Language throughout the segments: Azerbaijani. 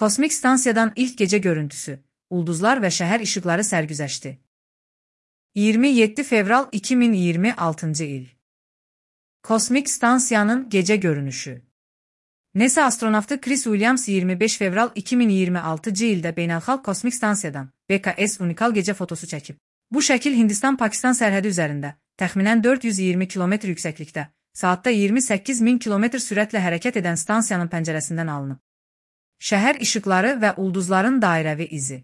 Kosmik stansiyadan ilk gece görüntüsü, ulduzlar ve şehir ışıkları sərgüzəşti. 27 fevral 2026 il. Kosmik stansiyanın gece görünüşü. NASA astronavtı Chris Williams 25 fevral 2026 ildə beynəlxalq kosmik stansiyadan BKS unikal gece fotosu çəkib. Bu şəkil Hindistan-Pakistan sərhədi üzərində, təxminən 420 km yüksəklikdə, saatda 28.000 km sürətlə hərəkət edən stansiyanın pəncərəsindən alınıb. Şəhər işıqları və ulduzların dairəvi izi.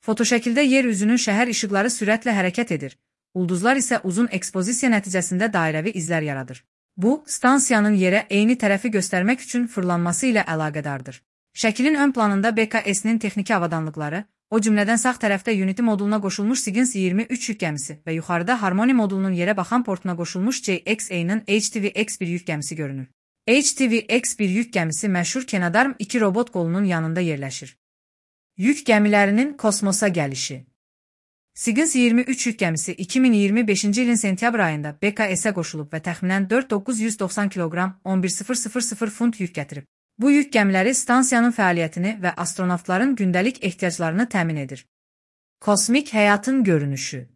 Fotoşəkildə yer üzünün şəhər işıqları sürətlə hərəkət edir, ulduzlar isə uzun ekspozisiya nəticəsində dairəvi izlər yaradır. Bu, stansiyanın yerə eyni tərəfi göstərmək üçün fırlanması ilə əlaqədardır. Şəkilin ön planında BKS-nin texniki avadanlıqları, o cümlədən sağ tərəfdə Unity moduluna qoşulmuş Cygnus 23 yük gəmisi və yuxarıda Harmony modulunun yerə baxan portuna qoşulmuş JXA-nın HTV-X1 yük gəmisi görünür. HTV-X1 yük gəmisi məşhur Canadarm 2 robot qolunun yanında yerləşir. Yük gəmilərinin kosmosa gəlişi. Cygnus 23 yük gəmisi 2025-ci ilin sentyabr ayında BKS-ə qoşulub və təxminən 4990 kiloqram 11,000 funt yük gətirib. Bu yük gəmiləri stansiyanın fəaliyyətini və astronavtların gündəlik ehtiyaclarını təmin edir. Kosmik həyatın görünüşü.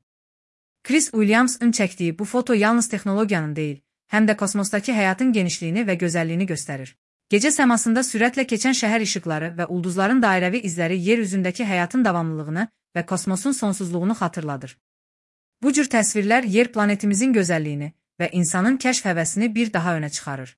Chris Williams'ın çəkdiyi bu foto yalnız texnologiyanın deyil, həm də kosmosdakı həyatın genişliyini və gözəlliyini göstərir. Gecə səmasında sürətlə keçən şəhər işıqları və ulduzların dairəvi izləri yer üzündəki həyatın davamlılığını və kosmosun sonsuzluğunu xatırladır. Bu cür təsvirlər yer planetimizin gözəlliyini və insanın kəşf həvəsini bir daha önə çıxarır.